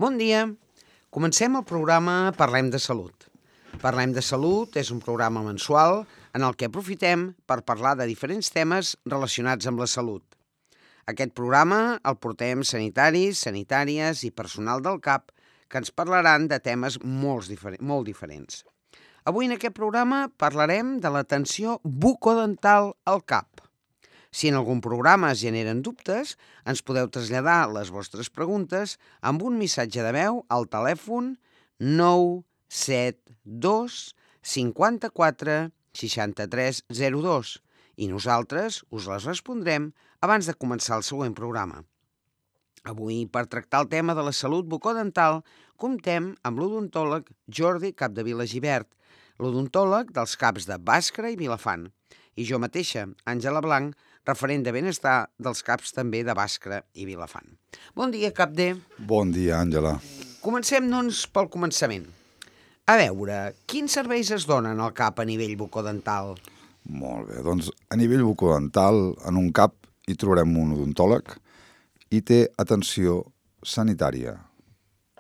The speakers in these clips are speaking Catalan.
Bon dia. Comencem el programa Parlem de Salut. Parlem de Salut és un programa mensual en el que aprofitem per parlar de diferents temes relacionats amb la salut. Aquest programa el portem sanitaris, sanitàries i personal del CAP que ens parlaran de temes molt diferents. Avui en aquest programa parlarem de l'atenció bucodental al CAP. Si en algun programa es generen dubtes, ens podeu traslladar les vostres preguntes amb un missatge de veu al telèfon 972 54 63 02 i nosaltres us les respondrem abans de començar el següent programa. Avui, per tractar el tema de la salut bucodental, comptem amb l'odontòleg Jordi Capdevila Gibert, l'odontòleg dels CAPs de Bàscara i Vilafant, i jo mateixa, Àngela Blanc, referent de benestar dels CAPs també de Bàscara i Vilafant. Bon dia, Capde. Bon dia, Àngela. Comencem, doncs, pel començament. A veure, quins serveis es donen al CAP a nivell bucodental? Molt bé, doncs a nivell bucodental, en un CAP hi trobarem un odontòleg i té atenció sanitària.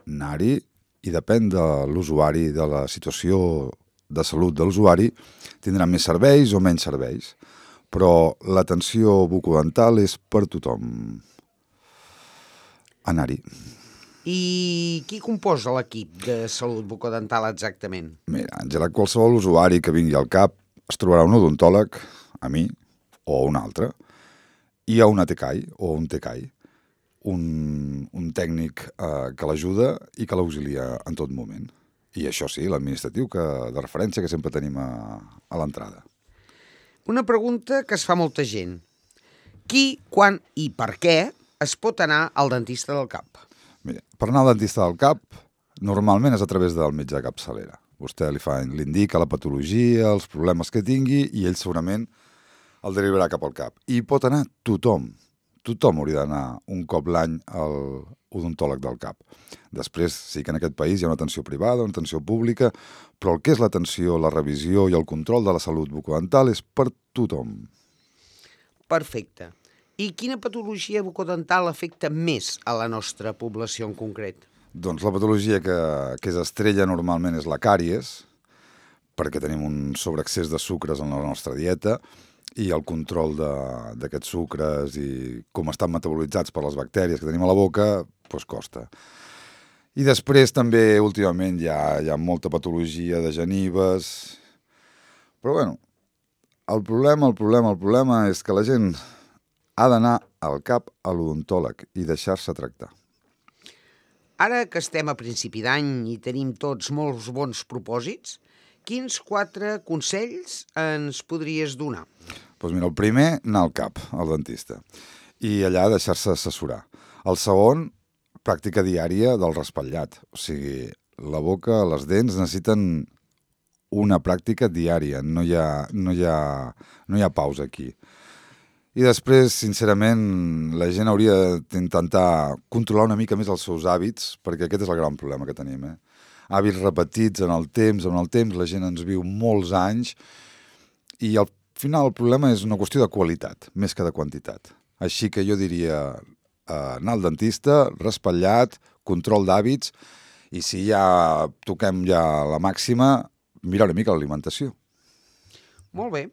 Anar-hi, i depèn de l'usuari, de la situació de salut de l'usuari, tindrà més serveis o menys serveis. Però l'atenció bucodental és per tothom. Anar-hi. I qui composa l'equip de salut bucodental exactament? Mira, Àngela, qualsevol usuari que vingui al CAP es trobarà un odontòleg, a mi, o un altre, i a una TCAI o un TCAI, un tècnic que l'ajuda i que l'auxilia en tot moment. I això sí, l'administratiu de referència que sempre tenim a l'entrada. Una pregunta que es fa molta gent. Qui, quan i per què es pot anar al dentista del CAP? Mira, per anar al dentista del CAP, normalment és a través del metge de capçalera. Vostè li indica la patologia, els problemes que tingui, i ell segurament el derivarà cap al CAP. I pot anar tothom. Tothom hauria d'anar un cop l'any al odontòleg del CAP. Després, sí que en aquest país hi ha una atenció privada, una atenció pública, però el que és l'atenció, la revisió i el control de la salut bucodental és per tothom. Perfecte. I quina patologia bucodental afecta més a la nostra població en concret? Doncs la patologia que és estrella normalment és la càries, perquè tenim un sobreexcés de sucres en la nostra dieta, i el control d'aquests sucres i com estan metabolitzats per les bactèries que tenim a la boca, doncs costa. I després també últimament hi ha molta patologia de genives, però bueno, el problema és que la gent ha d'anar al CAP a l'odontòleg i deixar-se tractar. Ara que estem a principi d'any i tenim tots molts bons propòsits, quins 4 consells ens podries donar? Doncs mira, el primer, anar al CAP, al dentista, i allà deixar-se assessorar. El segon, pràctica diària del raspallat. O sigui, la boca, les dents necessiten una pràctica diària, no hi ha pausa aquí. I després, sincerament, la gent hauria d'intentar controlar una mica més els seus hàbits, perquè aquest és el gran problema que tenim. Hàbits repetits en el temps, la gent ens viu molts anys, i al final el problema és una qüestió de qualitat, més que de quantitat. Així que jo diria anar al dentista, raspallat, control d'hàbits, i si ja toquem la màxima, mirar una mica l'alimentació. Molt bé.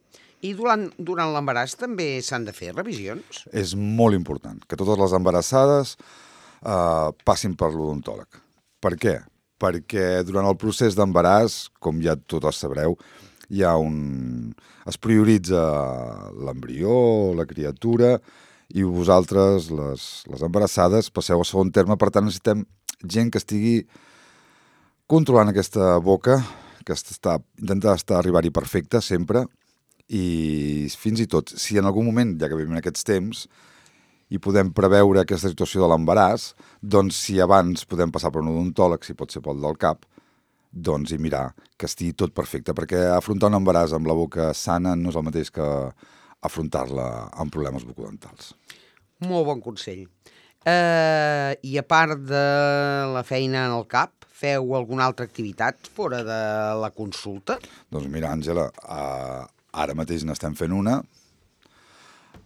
I durant l'embaràs també s'han de fer revisions? És molt important que totes les embarassades passin per l'odontòleg. Per què? Perquè durant el procés d'embaràs, com ja totes sabreu, es prioritza l'embrió, la criatura, i vosaltres, les embarassades, passeu a segon terme. Per tant, necessitem gent que estigui controlant aquesta boca, que intenta arribar-hi perfecta sempre, i fins i tot, si en algun moment, ja que vivim en aquests temps, i podem preveure aquesta situació de l'embaràs, doncs si abans podem passar per un odontòleg, si pot ser pel del CAP, doncs i mirar que estigui tot perfecte, perquè afrontar un embaràs amb la boca sana no és el mateix que afrontar-la amb problemes bucodentals. Molt bon consell. I a part de la feina en el CAP, feu alguna altra activitat fora de la consulta? Doncs mira, Àngela, ara mateix n'estem fent una.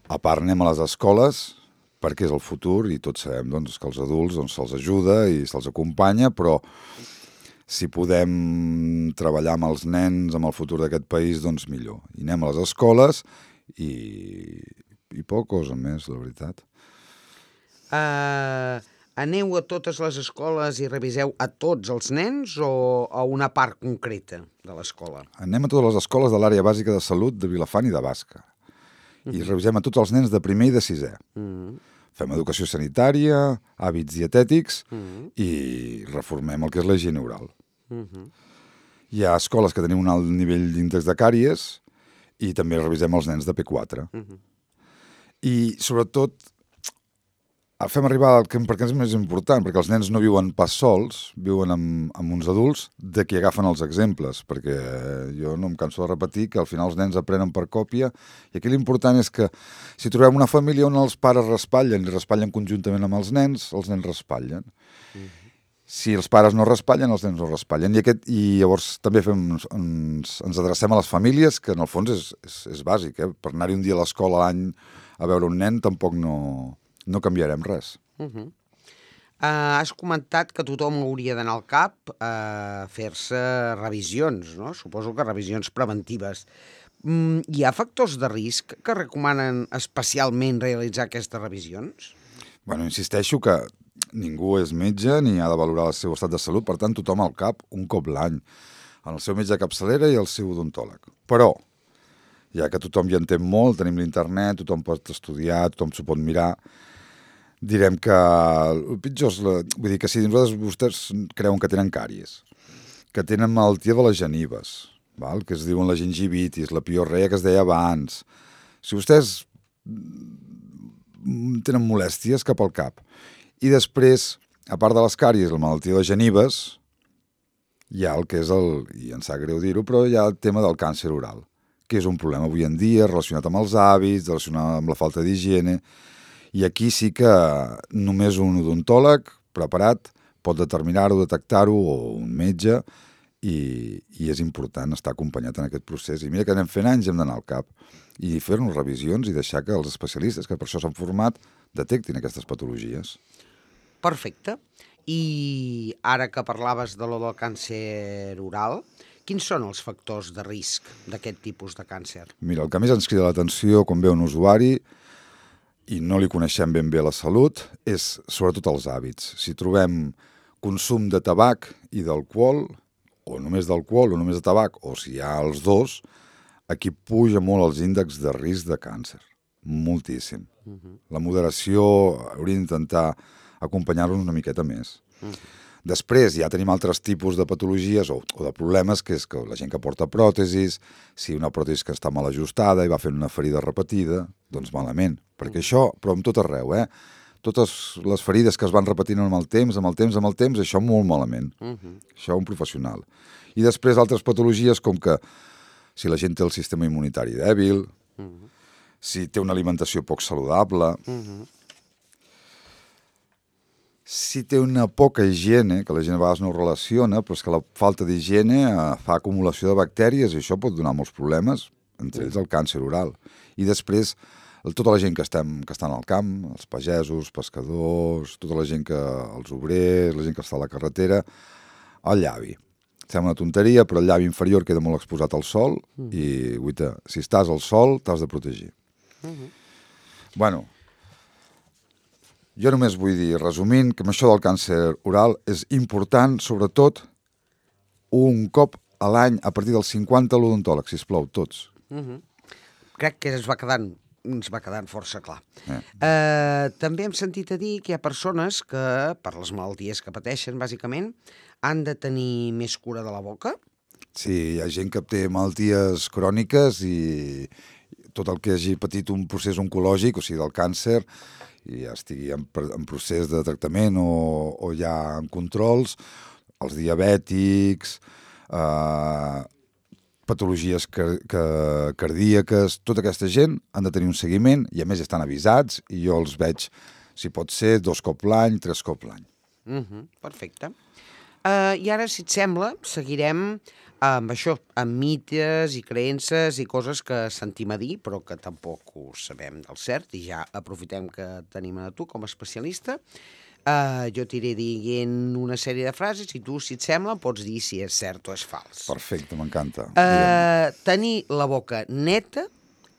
A part anem a les escoles perquè és el futur i tots sabem doncs, que els adults se'ls ajuda i se'ls acompanya, però si podem treballar amb els nens, amb el futur d'aquest país, doncs millor. I anem a les escoles i poca cosa més, la veritat. Aneu a totes les escoles i reviseu a tots els nens o a una part concreta de l'escola? Anem a totes les escoles de l'àrea bàsica de salut de Vilafant i de Bàscara. I revisem a tots els nens de primer i de sisè. Fem educació sanitària, hàbits dietètics i reformem el que és la higiene oral. Hi ha escoles que tenim un alt nivell d'índex de càries i també revisem els nens de P4. I sobretot fem arribar perquè és més important, perquè els nens no viuen pas sols, viuen amb uns adults de qui agafen els exemples, perquè jo no em canso de repetir que al final els nens aprenen per còpia i aquí l'important és que si trobem una família on els pares raspallen i raspallen conjuntament amb els nens raspallen. Si els pares no raspallen, els nens no raspallen. I llavors també ens adrecem a les famílies, que en el fons és bàsic. Per anar-hi un dia a l'escola a l'any a veure un nen tampoc no canviarem res. Has comentat que tothom hauria d'anar al CAP a fer-se revisions, no? Suposo que revisions preventives. Hi ha factors de risc que recomanen especialment realitzar aquestes revisions? Bueno, insisteixo que ningú és metge ni ha de valorar el seu estat de salut, per tant, tothom al CAP un cop l'any, en el seu metge de capçalera i el seu odontòleg. Però, ja que tothom hi entén molt, tenim l'internet, tothom pot estudiar, tothom s'ho pot mirar, direm que el pitjor és... Vull dir que si vostès creuen que tenen càries, que tenen malaltia de les genives, que es diuen la gingivitis, la piorrea que es deia abans, si vostès tenen molèsties, cap al CAP. I després, a part de les càries i la malaltia de genives, hi ha el que és i em sap greu dir-ho, però hi ha el tema del càncer oral, que és un problema avui en dia relacionat amb els hàbits, relacionat amb la falta d'higiene, i aquí sí que només un odontòleg preparat pot determinar-ho, detectar-ho, o un metge, i és important estar acompanyat en aquest procés. I mira que anem fent anys, hem d'anar al CAP i fer-nos revisions i deixar que els especialistes, que per això s'han format, detectin aquestes patologies. Perfecte. I ara que parlaves de lo del càncer oral, quins són els factors de risc d'aquest tipus de càncer? Mira, el que més ens crida l'atenció quan ve un usuari i no li coneixem ben bé la salut és sobretot els hàbits. Si trobem consum de tabac i d'alcohol, o només d'alcohol o només de tabac, o si hi ha els dos, aquí puja molt els índexs de risc de càncer. Moltíssim. La moderació hauria d'intentar acompanyar-los una miqueta més. Després ja tenim altres tipus de patologies o de problemes, que és que la gent que porta pròtesis, si una pròtesi que està mal ajustada i va fent una ferida repetida, doncs malament. Perquè això, però amb tot arreu, totes les ferides que es van repetint amb el temps, això molt malament. Això un professional. I després altres patologies com que si la gent té el sistema immunitari dèbil, si té una alimentació poc saludable, si té una poca higiene, que la gent a vegades no ho relaciona, però és que la falta d'higiene fa acumulació de bactèries i això pot donar molts problemes, entre ells el càncer oral. I després tota la gent que estan al camp, els pagesos, pescadors, tota la gent els obrers, la gent que està a la carretera, el llavi. Sembla una tonteria, però el llavi inferior queda molt exposat al sol i, guaita, si estàs al sol, t'has de protegir. Bueno, jo només vull dir, resumint, que amb això del càncer oral és important, sobretot, un cop a l'any, a partir dels 50, a l'odontòleg, sisplau, tots. Crec que ens va quedant força clar. També hem sentit a dir que hi ha persones que, per les malalties que pateixen, bàsicament, han de tenir més cura de la boca? Sí, hi ha gent que té malalties cròniques i tot el que hagi patit un procés oncològic, o sigui, del càncer, i ja estigui en procés de tractament o ja en controls, els diabètics, patologies cardíaques, tota aquesta gent han de tenir un seguiment i a més estan avisats i jo els veig, si pot ser, 2 cops l'any, 3 cops l'any. Perfecte. I ara, si et sembla, seguirem amb això, amb mites i creences i coses que sentim a dir, però que tampoc ho sabem del cert, i ja aprofitem que tenim a tu com a especialista. Jo t'iré dient una sèrie de frases i tu, si et sembla, pots dir si és cert o és fals. Perfecte, m'encanta. Tenir la boca neta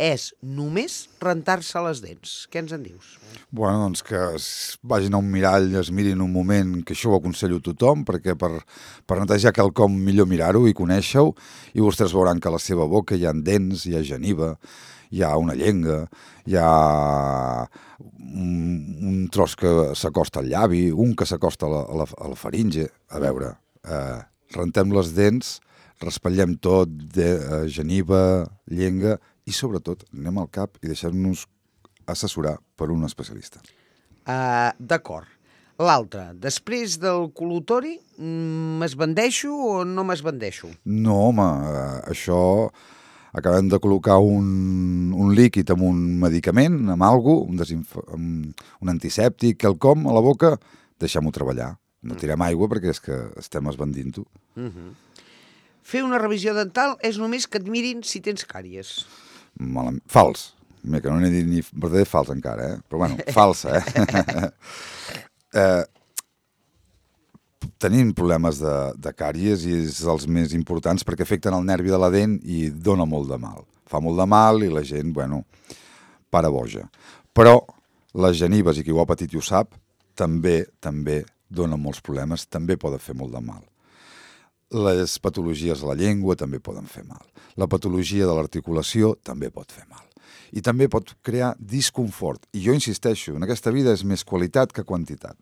és només rentar-se les dents. Què ens en dius? Bueno, doncs que vagin a un mirall, es mirin un moment, que això ho aconsello a tothom, perquè per netejar quelcom millor mirar-ho i conèixer-ho, i vostès veuran que a la seva boca hi ha dents, hi ha geniva, hi ha una llenga, hi ha un tros que s'acosta al llavi, un que s'acosta a la faringe. A veure, rentem les dents, raspallem tot, geniva, llenga, i sobretot anem al cap i deixem-nos assessorar per un especialista. D'acord. L'altre, després del col·lutori, m'esbandeixo o no m'esbandeixo? No, home, això acabem de col·locar un líquid amb un medicament, amb alguna cosa, un antisèptic, quelcom a la boca, deixem-ho treballar. No tirem aigua perquè és que estem esbandint-ho. Fer una revisió dental és només que et mirin si tens càries. Fals. Que no n'he dit ni verdader fals encara, però bueno, falsa, Tenim problemes de càries i és els més importants perquè afecten el nervi de la dent i dona molt de mal. Fa molt de mal i la gent, bueno, para boja. Però les genives, i qui ho ha patit i ho sap, també donen molts problemes, també poden fer molt de mal. Les patologies de la llengua també poden fer mal. La patologia de l'articulació també pot fer mal. I també pot crear disconfort. I jo insisteixo, en aquesta vida és més qualitat que quantitat.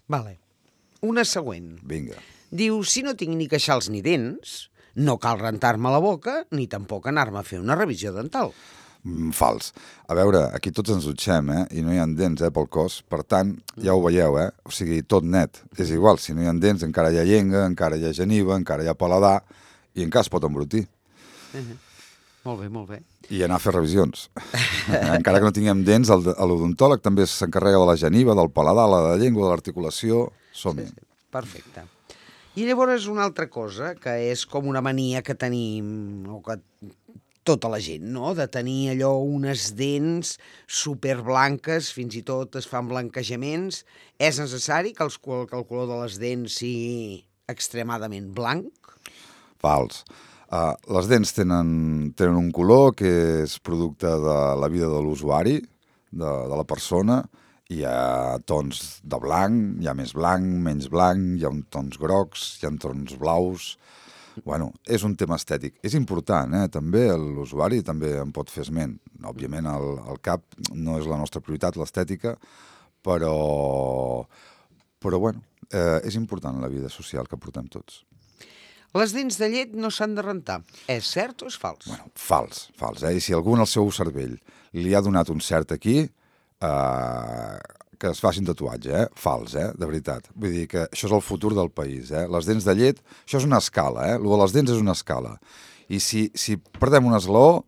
Vale. Una següent. Vinga. Diu, si no tinc ni queixals ni dents, no cal rentar-me la boca ni tampoc anar-me a fer una revisió dental. Fals. A veure, aquí tots ens dutxem, i no hi ha dents, pel cos. Per tant, ja ho veieu, O sigui, tot net. És igual, si no hi ha dents, encara hi ha llenga, encara hi ha geniva, encara hi ha paladar, i encara es pot embrutir. Molt bé, molt bé. I anar a fer revisions. Encara que no tinguem dents, l'odontòleg també s'encarrega de la geniva, del paladar, de la llengua, de l'articulació. Som-hi. Sí. Perfecte. I llavors una altra cosa, que és com una mania que tenim, o que tota la gent, no?, de tenir allò unes dents superblanques, fins i tot es fan blanquejaments. És necessari que el color de les dents sigui extremadament blanc? Fals. Les dents tenen un color que és producte de la vida de l'usuari, de la persona. Hi ha tons de blanc, hi ha més blanc, menys blanc, hi ha tons grocs, hi ha tons blaus. Bueno, és un tema estètic. És important, també l'usuari també en pot fer esment. Òbviament el cap no és la nostra prioritat, l'estètica, però bueno, és important la vida social que portem tots. Les dents de llet no s'han de rentar. És cert o és fals? Bueno, fals. I si algú en el seu cervell li ha donat un cert aquí, que es facin tatuatge, fals, de veritat. Vull dir que això és el futur del país, Les dents de llet, això és una escala, Lo de les dents és una escala. I si perdem un esglaó,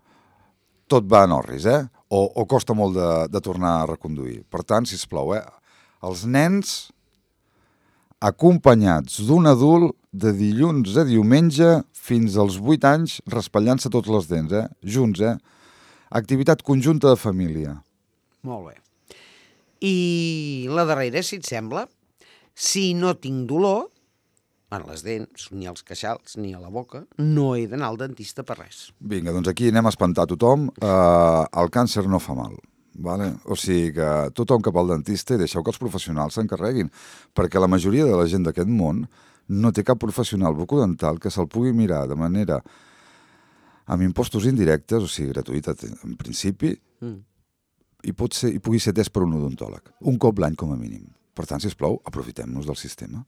tot va en orris, o costa molt de tornar a reconduir. Per tant, sisplau, els nens acompanyats d'un adult de dilluns a diumenge fins als 8 anys raspallant-se tots les dents, junts, activitat conjunta de família. Molt bé. I la darrera, si et sembla, si no tinc dolor en les dents, ni als queixals, ni a la boca, no he d'anar al dentista per res. Vinga, doncs aquí anem a espantar tothom. El càncer no fa mal. Vale? O sigui que tothom cap al dentista i deixeu que els professionals s'encarreguin, perquè la majoria de la gent d'aquest món no té cap professional bucodental que se'l pugui mirar de manera amb impostos indirectes, o sigui, gratuïta en principi, i pugui ser atès per un odontòleg. Un cop l'any com a mínim. Per tant, sisplau, aprofitem-nos del sistema.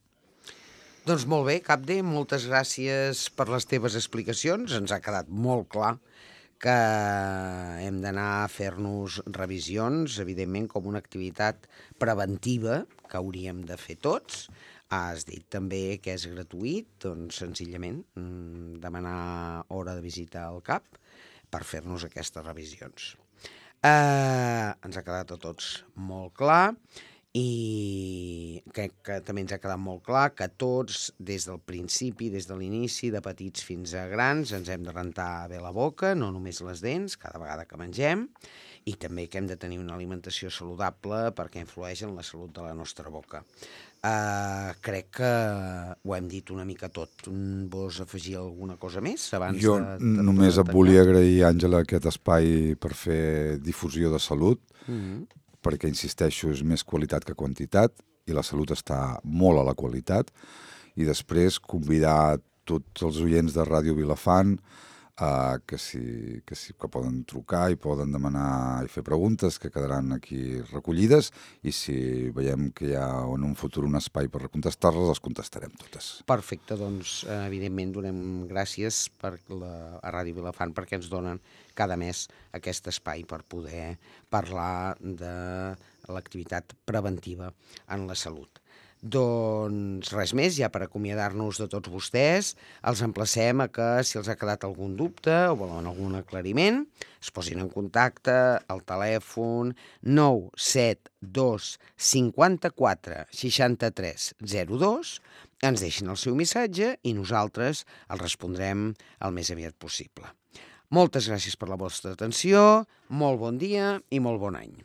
Doncs molt bé, Capde, moltes gràcies per les teves explicacions. Ens ha quedat molt clar que hem d'anar a fer-nos revisions, evidentment com una activitat preventiva que hauríem de fer tots. Has dit també que és gratuït, doncs senzillament demanar hora de visita al CAP per fer-nos aquestes revisions. Ens ha quedat a tots molt clar I crec que també ens ha quedat molt clar que tots, des del principi, des de l'inici, de petits fins a grans, ens hem de rentar bé la boca, no només les dents, cada vegada que mengem, i també que hem de tenir una alimentació saludable perquè influeix en la salut de la nostra boca. Crec que ho hem dit una mica tot. Vols afegir alguna cosa més abans Jo només et volia agrair, Àngela, aquest espai per fer difusió de salut, perquè, insisteixo, és més qualitat que quantitat, i la salut està molt a la qualitat, i després convidar tots els oients de Ràdio Vilafant que poden trucar i poden demanar i fer preguntes que quedaran aquí recollides, i si veiem que hi ha en un futur un espai per contestar-les, les contestarem totes. Perfecte, doncs evidentment donem gràcies a Ràdio Vilafant perquè ens donen cada mes aquest espai per poder parlar de l'activitat preventiva en la salut. Doncs res més, ja per acomiadar-nos de tots vostès, els emplacem a que, si els ha quedat algun dubte o volen algun aclariment, es posin en contacte al telèfon 972 54 63 02, ens deixin el seu missatge i nosaltres el respondrem el més aviat possible. Moltes gràcies per la vostra atenció, molt bon dia i molt bon any.